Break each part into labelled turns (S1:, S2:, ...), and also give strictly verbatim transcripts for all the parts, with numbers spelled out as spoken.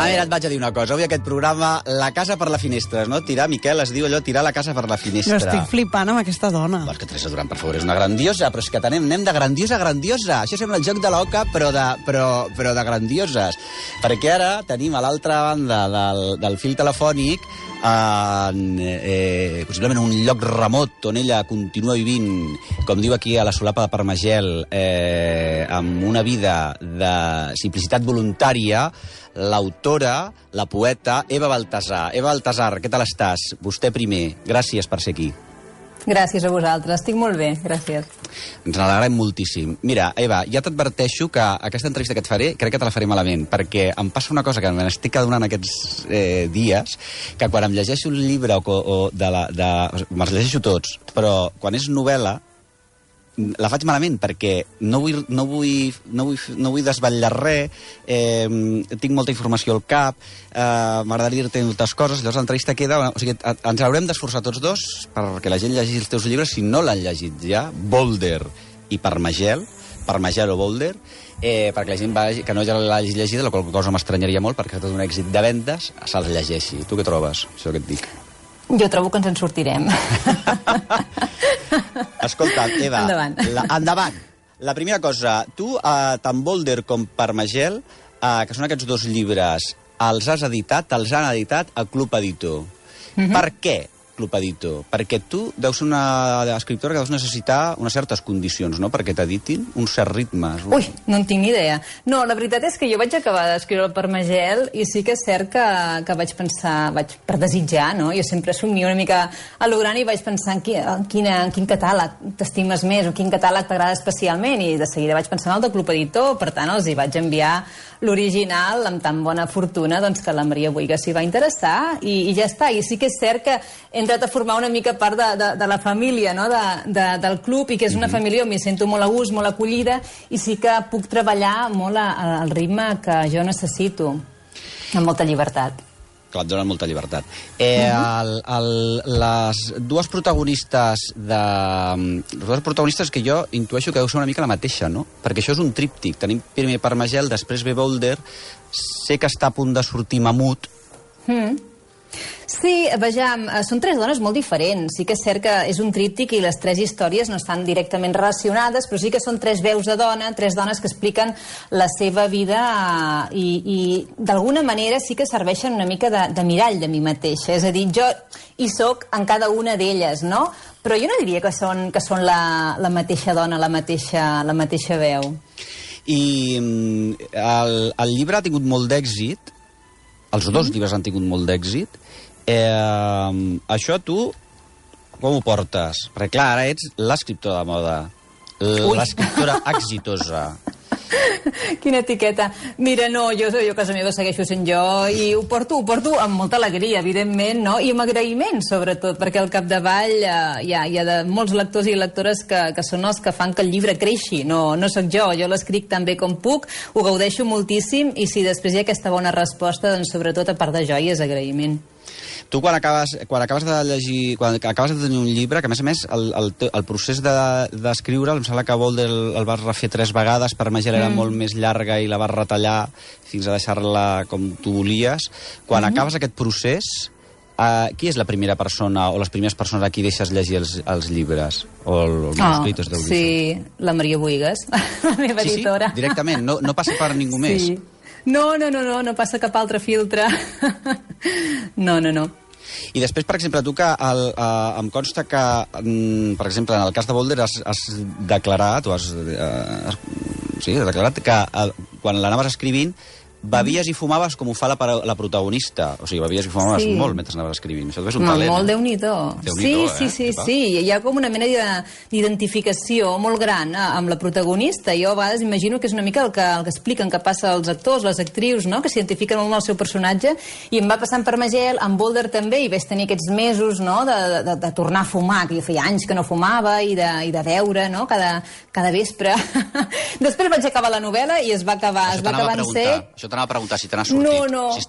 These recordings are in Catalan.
S1: A veure, et vaig a dir una cosa. Avui aquest programa, la casa per la finestra, no? Tirar, Miquel, es diu allò, tirar la casa per la finestra.
S2: Jo estic flipant amb aquesta dona.
S1: Vols que Teresa Duran, per favor, és una grandiosa, però és que tenem, anem de grandiosa a grandiosa. Això sembla el joc de l'oca, però, de, però, però de grandioses. Perquè ara tenim a l'altra banda del, del fil telefònic en, eh, possiblement un lloc remot on ella continua vivint, com diu aquí a la solapa de Parmagel, eh, amb una vida de simplicitat voluntària, l'autora, la poeta Eva Baltasar. Eva Baltasar, què tal estàs? Vostè primer, gràcies per ser aquí.
S3: Gràcies a vosaltres, estic molt bé, gràcies.
S1: Ens n'alegrem moltíssim. Mira, Eva, ja t'adverteixo que aquesta entrevista que et faré, crec que te la faré malament, perquè em passa una cosa que me n'estic adonant aquests eh, dies, que quan em llegeixo un llibre o, o de la... De, me'ls llegeixo tots, però quan és novel·la, la faig malament perquè no vull, no vull, no vull, no vull desvetllar res, eh, tinc molta informació al cap, eh, m'agradaria dir-te moltes coses, llavors l'entrevista queda... O sigui, ens haurem d'esforçar tots dos perquè la gent llegeixi els teus llibres si no l'han llegit ja, Boulder i Parmagel, Parmagel o Boulder, eh, perquè la gent va, que no ja l'hagi llegida, la qual cosa m'estranyaria molt perquè ha estat un èxit de vendes, se'ls llegeixi. Tu què trobes, això que et dic?
S3: Jo trobo que ens en sortirem.
S1: Escolta, Eva,
S3: endavant.
S1: La, endavant. La primera cosa, tu, eh, tant Boulder com Parmagel, eh, que són aquests dos llibres, els has editat, els han editat a Club Editor. Mm-hmm. Per què Club Editor? Perquè tu deus ser una escriptora que deus necessitar unes certes condicions, no?, perquè t'editin uns certs ritmes.
S3: Ui, no en tinc ni idea. No, la veritat és que jo vaig acabar d'escriure el Parmagel i sí que és cert que, que vaig pensar, vaig per desitjar, no? Jo sempre somio una mica a lo gran i vaig pensar en, qui, en, quina, en quin catàleg t'estimes més o quin catàleg t'agrada especialment i de seguida vaig pensar en el de Club Editor, per tant els hi vaig enviar l'original amb tan bona fortuna doncs, que la Maria Buigas s'hi va interessar i, i ja està. I sí que és cert que he entrat a formar una mica part de, de, de la família, no?, de, de, del club i que és una mm-hmm. família on m'hi sento molt a gust, molt acollida i sí que puc treballar molt a, a, al ritme que jo necessito, amb molta llibertat.
S1: Clar, et donen molta llibertat. Eh, el, el, les dues protagonistes de... Les dues protagonistes que jo intueixo que deu ser una mica la mateixa, no? Perquè això és un tríptic. Tenim primer Parmagel, després ve Boulder. Sé que està a punt de sortir Mamut.
S3: Mm. Sí, vejam, són tres dones molt diferents. Sí que és cert que és un tríptic i les tres històries no estan directament relacionades, però sí que són tres veus de dona, tres dones que expliquen la seva vida i, i d'alguna manera sí que serveixen una mica de, de mirall de mi mateixa. És a dir, jo hi soc en cada una d'elles, no? Però jo no diria que són, que són la, la mateixa dona, la mateixa, la mateixa veu.
S1: I el, el llibre ha tingut molt d'èxit, els dos mm. llibres han tingut molt d'èxit. Eh, això tu com ho portes? Perquè clar, ara ets l'escriptora de moda, l'escriptora exitosa.
S3: Quina etiqueta. Mira, no, jo, jo a casa meva segueixo sent jo i ho porto, ho porto amb molta alegria, evidentment, no? I amb agraïment, sobretot, perquè al capdavall eh, hi, ha, hi ha de molts lectors i lectores que, que són els que fan que el llibre creixi. No, no sóc jo, jo l'escric tan bé com puc, ho gaudeixo moltíssim i si després hi ha aquesta bona resposta, doncs sobretot a part de joia és agraïment.
S1: Tu quan acabes, quan acabes de llegir, quan acabes de tenir un llibre, que a més a més el, el, el procés d'escriure'l, de, em sembla que Boulder el, el vas refer tres vegades, Parmagel era mm. molt més llarga i la vas retallar fins a deixar-la com tu volies. Quan mm. acabes aquest procés, eh, qui és la primera persona o les primeres persones a qui deixes llegir els, els llibres? O els manuscritos,
S3: oh, sí, la Maria Buigas, la meva
S1: sí,
S3: editora.
S1: Sí, directament, no, no passa per ningú
S3: sí.
S1: més.
S3: No, no, no, no, no passa cap altre filtre. No, no, no.
S1: I després, per exemple, tu que el, uh, em consta que, um, per exemple, en el cas de Boulder has, has declarat, o has, uh, has, sí, has declarat que uh, quan l'anaves escrivint bevies i fumaves com ho fa la, la protagonista. O sigui, bevies i fumaves sí. molt mentre anaves escrivint. Això és un
S3: Ma,
S1: talent.
S3: Molt Déu-n'hi-do. Sí,
S1: eh?
S3: sí, sí, sí. Hi ha com una mena d'identificació molt gran eh, amb la protagonista. Jo a vegades imagino que és una mica el que, el que expliquen que passa als actors, les actrius, no?, que s'identifiquen molt amb el seu personatge. I em va passar en Parmagel, en Boulder també, i vaig tenir aquests mesos, no?, de, de, de tornar a fumar, que jo feia anys que no fumava, i de, i de beure, no?, cada, cada vespre. Després vaig acabar la novel·la i es va acabar, es va acabar en sec.
S1: això t'anava a preguntar, si te n'has sortit.
S3: No, no.
S1: Si...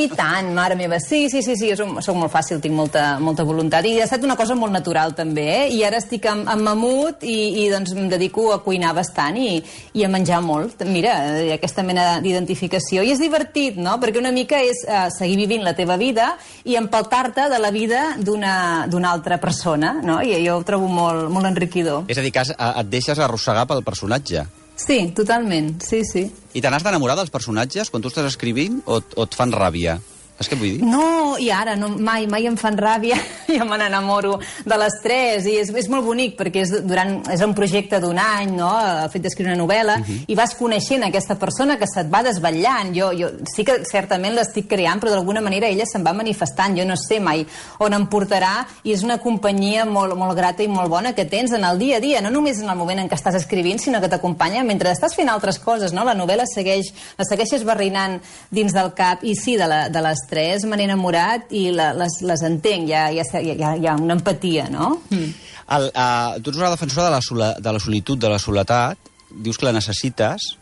S3: I tant, mare meva. Sí, sí, sí, sí, soc, soc molt fàcil, tinc molta, molta voluntat. I ha estat una cosa molt natural, també, eh? I ara estic en, en mamut i, i doncs em dedico a cuinar bastant i, i a menjar molt. Mira, aquesta mena d'identificació. I és divertit, no? Perquè una mica és uh, seguir vivint la teva vida i empaltar-te de la vida d'una altra persona, no? I jo ho trobo molt, molt enriquidor.
S1: És a dir, que has, et deixes arrossegar pel personatge.
S3: Sí, totalment, sí, sí.
S1: I te n'has d'enamorar dels personatges quan tu estàs escrivint o, o et fan ràbia? Saps què vull dir?
S3: No, i ara, no, mai, mai em fan ràbia, jo me n'enamoro de les tres, i és, és molt bonic, perquè és, durant, és un projecte d'un any, no?, el fet d'escriure una novel·la, uh -huh. i vas coneixent aquesta persona que se't va desvetllant. Jo, jo sí que certament l'estic creant, però d'alguna manera ella se'n va manifestant, jo no sé mai on em portarà, i és una companyia molt, molt grata i molt bona que tens en el dia a dia, no només en el moment en què estàs escrivint, sinó que t'acompanya mentre estàs fent altres coses, no? La novel·la segueix, la segueixes barrinant dins del cap, i sí, de, la, de les tres me n'he enamorat i la, les, les entenc, hi ha, hi, ha, hi, ha, hi ha una empatia, no? Mm.
S1: El, uh, tu ets una defensora de la, sola, de la solitud, de la soledat, dius que la necessites.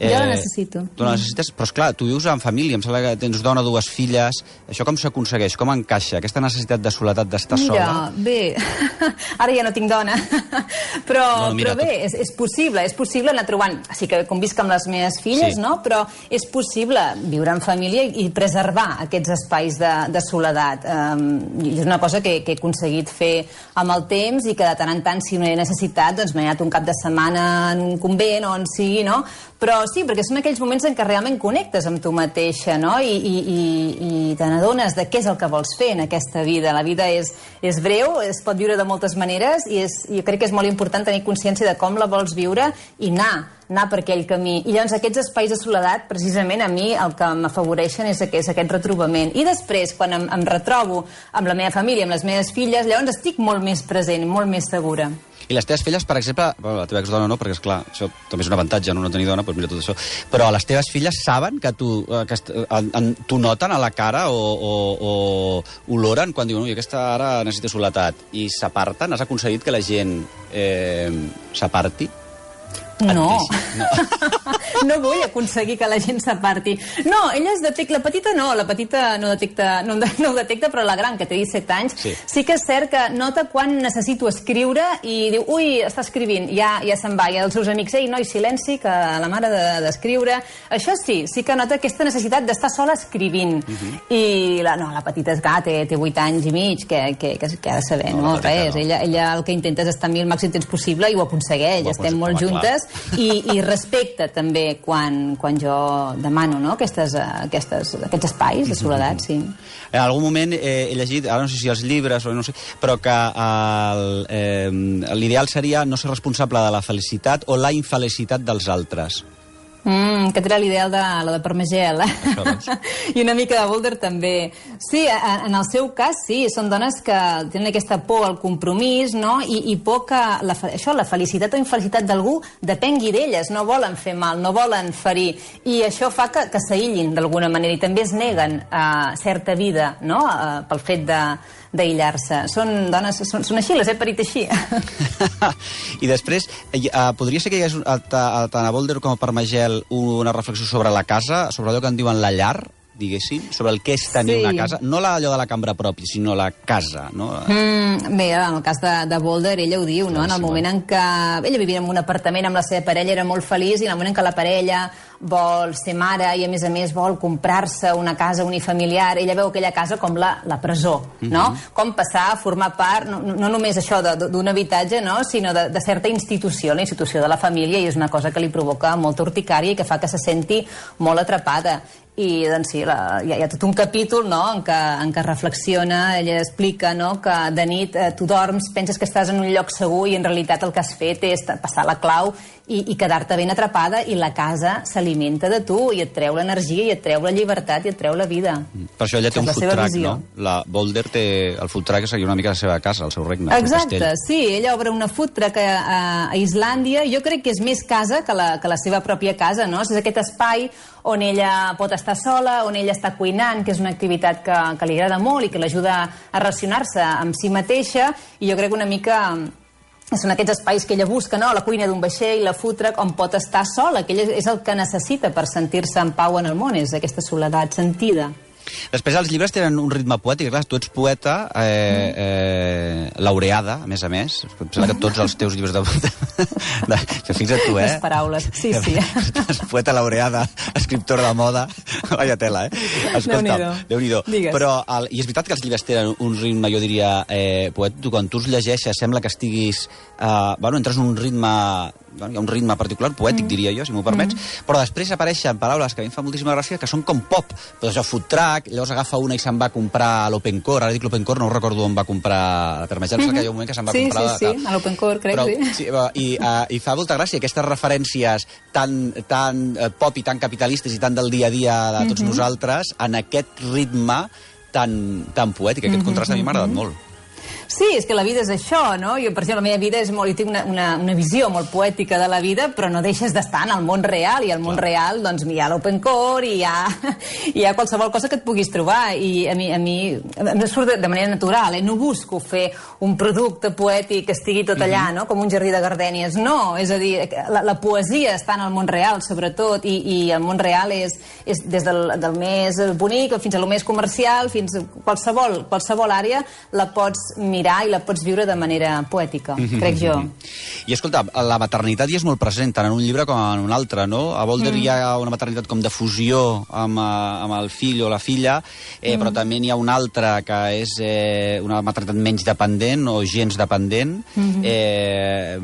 S3: Eh, jo la necessito.
S1: Tu la necessites, però esclar, tu vius en família, em sembla que tens dona, dues filles, això com s'aconsegueix, com encaixa, aquesta necessitat de soledat, d'estar sola?
S3: Mira, bé, ara ja no tinc dona, però,
S1: no, mira,
S3: però bé,
S1: tot...
S3: és, és possible, és possible anar trobant, sí que convisc amb les meves filles,
S1: sí.
S3: no?, però és possible viure en família i preservar aquests espais de, de soledat. Um, és una cosa que, que he aconseguit fer amb el temps i que de tant en tant, si no he necessitat, doncs m'he anat un cap de setmana en un convent o on sigui, no?, però sí, perquè són aquells moments en què realment connectes amb tu mateixa, no?, i, i, i, i te n'adones de què és el que vols fer en aquesta vida. La vida és, és breu, es pot viure de moltes maneres, i és, jo crec que és molt important tenir consciència de com la vols viure i anar, anar per aquell camí. I llavors aquests espais de soledat, precisament a mi el que m'afavoreixen és aquest, és aquest retrobament. I després, quan em, em retrobo amb la meva família, amb les meves filles, llavors estic molt més present, molt més segura.
S1: I les teves filles, per exemple, bueno, la teva exdona no, perquè, esclar, això també és un avantatge, no, no tenir dona, doncs mira tot això, però les teves filles saben que tu, que en, en, tu noten a la cara o, o, o oloren quan diuen, ui, aquesta ara necessita soledat, i s'aparten? Has aconseguit que la gent eh, s'aparti?
S3: No. No. No vull aconseguir que la gent s'aparti. No, ella es detecta... La petita no, la petita no detecta, no, no ho detecta, però la gran, que té disset anys, sí. sí que és cert que nota quan necessito escriure i diu, ui, està escrivint, ja, ja se'n va. I els seus amics, ei, noi, silenci, que la mare d'escriure... De, Això sí, sí que nota aquesta necessitat d'estar sola escrivint. Uh -huh. I la, no, la petita és clar, té, té vuit anys i mig, que, que, que, que ha de saber, no, no res. No. Ella, ella el que intenta és estar amb mi el màxim temps possible i ho aconsegueix. Ho Estem molt juntes. I, i respecta també quan, quan jo demano, no?, aquestes, aquestes, aquests espais de soledat, sí.
S1: En algun moment eh, he llegit, ara no sé si els llibres o no sé, però que eh, l'ideal seria no ser responsable de la felicitat o la infelicitat dels altres.
S3: Mm, aquest era l'ideal de la de Parmagel. I una mica de Boulder també. Sí, en el seu cas, sí, són dones que tenen aquesta por al compromís, no?, i, i por que la, això, la felicitat o infelicitat d'algú depengui d'elles, no volen fer mal, no volen ferir, i això fa que, que s'aïllin d'alguna manera, i també es neguen a certa vida, no?, a, pel fet de d'aïllar-se. Són dones, són, són així, les he parit així.
S1: I després, eh, podria ser que hi hagués tant a Boulder com a Parmagel una reflexió sobre la casa, sobre allò que en diuen la llar, diguéssim, sobre el que és tenir sí. una casa, no allò de la cambra pròpia, sinó la casa, no?
S3: Mm, bé, en el cas de, de Boulder, ella ho diu, no? En el moment en què ella vivia en un apartament amb la seva parella, era molt feliç, i en el moment en què la parella vol ser mare i, a més a més, vol comprar-se una casa unifamiliar, ella veu aquella casa com la, la presó, no? Mm-hmm. Com passar a formar part, no, no només això d'un habitatge, no?, sinó de, de certa institució, la institució de la família, i és una cosa que li provoca molta urticària i que fa que se senti molt atrapada. I, doncs sí, la, hi, ha, hi ha tot un capítol, no?, en què, en què reflexiona, ella explica, no?, que de nit eh, tu dorms, penses que estàs en un lloc segur i en realitat el que has fet és passar la clau i, i quedar-te ben atrapada, i la casa s'alimenta de tu i et treu l'energia i et treu la llibertat i et treu la vida.
S1: Per això ella té un food truck, no? La Boulder té el food truck, que seria una mica la seva casa, el seu regne.
S3: Exacte, sí, ella obre una food truck a, a, a Islàndia. Jo crec que és més casa que la, que la seva pròpia casa, no? És aquest espai on ella pot estar sola, on ella està cuinant, que és una activitat que, que li agrada molt i que l'ajuda a relacionar-se amb si mateixa, i jo crec que una mica són aquests espais que ella busca, no? La cuina d'un vaixell, la food truck, on pot estar sola, que ell és el que necessita per sentir-se en pau en el món, és aquesta soledat sentida.
S1: Després els llibres tenen un ritme poètic, clar, tu ets poeta eh, eh, laureada, a més a més. Em sembla que tots els teus llibres de... de que fixa't tu, eh?
S3: Les paraules, sí, sí.
S1: Poeta laureada, escriptora de moda, vaya tela, eh? Escolta, Déu-n'hi-do. Però, el, i és veritat que els llibres tenen un ritme, jo diria, eh, poètic. Tu, quan tu els llegeixes, sembla que estiguis... Eh, bueno, entres en un ritme... Hi ha un ritme particular, poètic, mm. diria jo, si m'ho permets, mm. però després apareixen paraules que a mi em fa moltíssima gràcia, que són com pop. Doncs això, food truck, llavors agafa una i se'n va a comprar a l'Open Core, ara dic l'Open Core, no recordo on va comprar la Permagel, mm -hmm. que hi ha un moment que se'n va
S3: sí,
S1: comprar...
S3: Sí, sí, sí, a l'Open Core, crec,
S1: però,
S3: sí.
S1: sí i, uh, I fa molta gràcia aquestes referències tan, tan uh, pop i tan capitalistes i tan del dia a dia de tots mm -hmm. nosaltres, en aquest ritme tan, tan poètic. Aquest mm -hmm. contrast a mi m'ha agradat molt.
S3: Sí, és que la vida és això, no? Jo, per exemple, la meva vida és molt... Jo tinc una, una, una visió molt poètica de la vida, però no deixes d'estar en el món real, i al món Clar. real, doncs, hi ha l'Open Core, i hi ha, hi ha qualsevol cosa que et puguis trobar, i a mi, a mi em surt de manera natural, eh? No busco fer un producte poètic que estigui tot allà, no? Com un jardí de gardènies, no! És a dir, la, la poesia està en el món real, sobretot, i, i el món real és, és des del, del més bonic fins a lo més comercial, fins a qualsevol, qualsevol àrea, la pots mirar i la pots viure de manera poètica, mm-hmm. crec jo.
S1: I escolta, la maternitat hi és molt present, tant en un llibre com en un altre, no? A Boulder mm. hi ha una maternitat com de fusió amb, amb el fill o la filla, eh, mm. però també n'hi ha una altra que és eh, una maternitat menys dependent o gens dependent, mm-hmm. eh,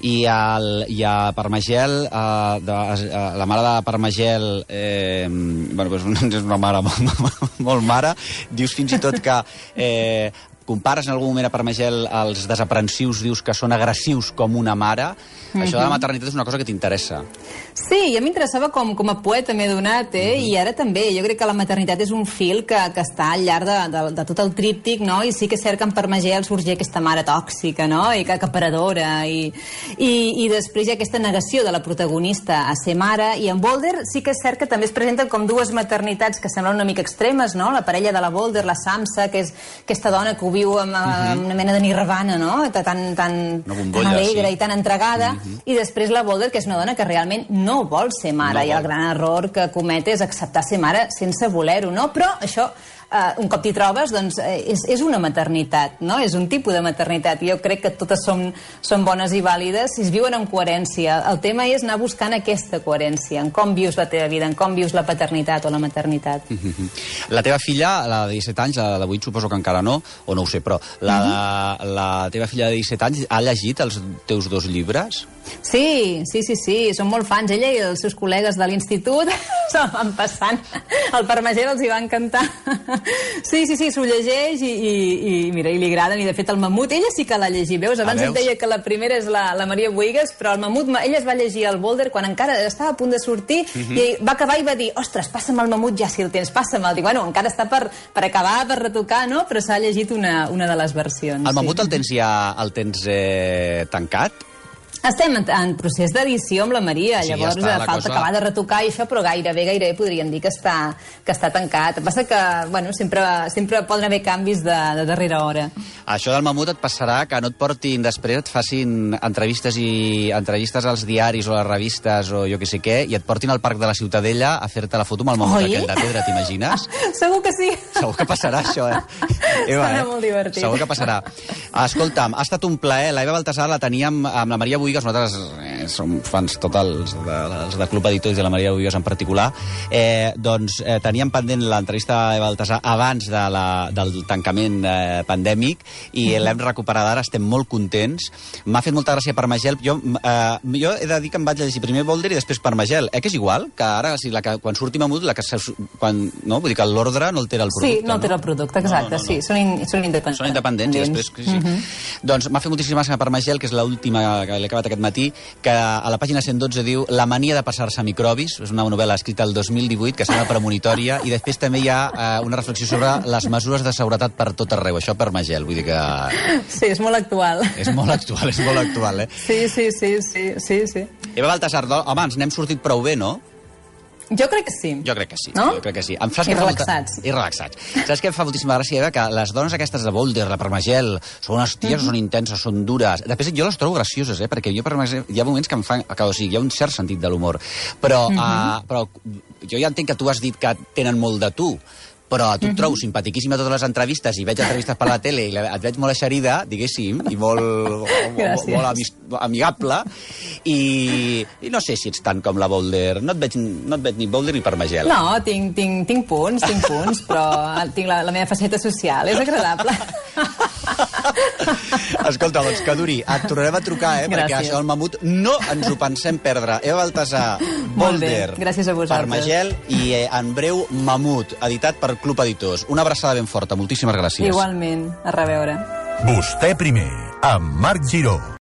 S1: i, el, i a Permagel, eh, de, eh, la mare de Permagel, eh, bueno, doncs és una mare molt, molt mare, dius fins i tot que... Eh, compares en algun moment a Permagel els desaprensius, dius que són agressius com una mare. Mm-hmm. Això de la maternitat és una cosa que t'interessa.
S3: Sí, a mi m'interessava com, com a poeta m'he donat, eh? Mm-hmm. I ara també. Jo crec que la maternitat és un fil que, que està al llarg de, de, de tot el tríptic, no? I sí que és cert que en Permagel sorgia aquesta mare tòxica, no? I que acaparadora. I, i, i després hi ha aquesta negació de la protagonista a ser mare. I en Boulder sí que és cert que també es presenten com dues maternitats que semblen una mica extremes, no? La parella de la Boulder, la Samsa, que és aquesta dona que viu amb, amb uh-huh. una mena de nirvana, no? Tan, tan,
S1: bombolla,
S3: tan alegre
S1: sí.
S3: i tan entregada. Uh-huh. I després la Boulder, que és una dona que realment no vol ser mare. No I el gran error que comet és acceptar ser mare sense voler-ho, no? Però això... Uh, un cop t'hi trobes, doncs, eh, és, és una maternitat, no? És un tipus de maternitat. Jo crec que totes són, són bones i vàlides si es viuen en coherència. El tema és anar buscant aquesta coherència, en com vius la teva vida, en com vius la paternitat o la maternitat.
S1: Mm-hmm. La teva filla, la de disset anys, la de vuit suposo que encara no, o no ho sé, però la, mm-hmm. la teva filla de disset anys ha llegit els teus dos llibres?
S3: Sí, sí, sí, sí, són molt fans. Ella i els seus col·legues de l'institut se'l van passant. El Permagel els hi va encantar. Sí, sí, sí, s'ho llegeix i, i, i mira, i li agraden. I de fet el Mamut, ella sí que l'ha llegit, veus? Abans ah, veus? Et deia que la primera és la, la Maria Bohigas, però el Mamut, ella es va llegir el Boulder quan encara estava a punt de sortir uh-huh. i va acabar i va dir, ostres, passa'm el Mamut ja si el tens, passa'm-el. Dic, bueno, encara està per, per acabar, per retocar, no? Però s'ha llegit una, una de les versions.
S1: El Mamut
S3: sí.
S1: el tens ja el tens eh, tancat?
S3: Estem en, en procés d'edició amb la Maria, sí, llavors ja està, falta cosa... acabar de retocar i això, però gairebé, gairebé podríem dir que està, que està tancat. El que passa que, bueno, sempre, sempre poden haver canvis de, de darrera hora.
S1: Això del Mamut et passarà que no et portin després, et facin entrevistes i entrevistes als diaris o a les revistes o jo que sé què, i et portin al Parc de la Ciutadella a fer-te la foto amb el Mamut Oi? aquell de pedra, t'imagines?
S3: Segur que sí.
S1: Segur que passarà això, eh? Eva,
S3: Serà
S1: eh?
S3: molt divertit.
S1: Segur que passarà. Escolta'm, ha estat un plaer. L'Eva Baltasar la teníem amb la Maria Bohigas. Nosaltres eh, som fans totals de, de, de Club Editors i de la Maria Bohigas en particular. Eh, doncs eh, teníem pendent l'entrevista a Eva Baltasar abans de la, del tancament eh, pandèmic i mm-hmm. l'hem recuperat ara, estem molt contents. M'ha fet molta gràcia Permagel. Jo, eh, jo he de dir que em vaig llegir primer Boulder i després Permagel. Eh, que és igual? Que ara, si la que, quan surti Mamut, la que, quan, no? Vull dir que l'ordre no altera el producte.
S3: Sí, no altera el producte, exacte. No, no, no. Sí, són, in, són independents.
S1: Són independents i després... Sí, sí. Mm-hmm. Doncs m'ha fet moltíssima gràcia Permagel, que és l'última que l'he acabat aquest matí, que a la pàgina cent dotze diu La mania de passar-se a microbis, és una novel·la escrita el dos mil divuit que sembla premonitòria, i després també hi ha eh, una reflexió sobre les mesures de seguretat per tot arreu, això Permagel, vull dir que...
S3: Sí, és molt actual.
S1: És molt actual, és molt actual, eh?
S3: Sí, sí, sí, sí, sí, sí.
S1: Eva Baltasar, home, ens n'hem sortit prou bé, no?
S3: Jo crec que sí.
S1: Jo crec que sí,
S3: no?
S1: jo crec que sí. Em saps
S3: I
S1: que fa
S3: relaxats.
S1: Molta... I relaxats. Saps què em fa moltíssima gràcia, Eva? Que les dones aquestes de Boulder, la Parmagel, són unes ties, mm -hmm. són intenses, són dures. Després jo les trobo gracioses, eh? Perquè jo, per exemple, hi ha moments que em fan... Que, o sigui, hi ha un cert sentit de l'humor. Però, mm -hmm. uh, però jo ja entenc que tu has dit que tenen molt de tu, però tu et trobo simpatiquíssima a totes les entrevistes i veig entrevistes per la tele i et veig molt eixerida, diguéssim, i molt, molt, molt amist, amigable, i, i no sé si ets tant com la Boulder. No et veig, no et veig ni Boulder ni Parmagel.
S3: No, tinc, tinc, tinc punts, tinc punts, però tinc la, la meva faceta social, és agradable.
S1: Escolta, doncs, que duri. Et tornarem a trucar, eh?
S3: Gràcies.
S1: Perquè això del mamut no ens ho pensem perdre. Eva Baltasar, Boulder,
S3: gràcies a vosaltres.
S1: Parmagel i eh, en breu Mamut, editat per Club Editors. Una abraçada ben forta. Moltíssimes gràcies.
S3: Igualment. A reveure.
S4: Vostè primer, amb Marc Giró.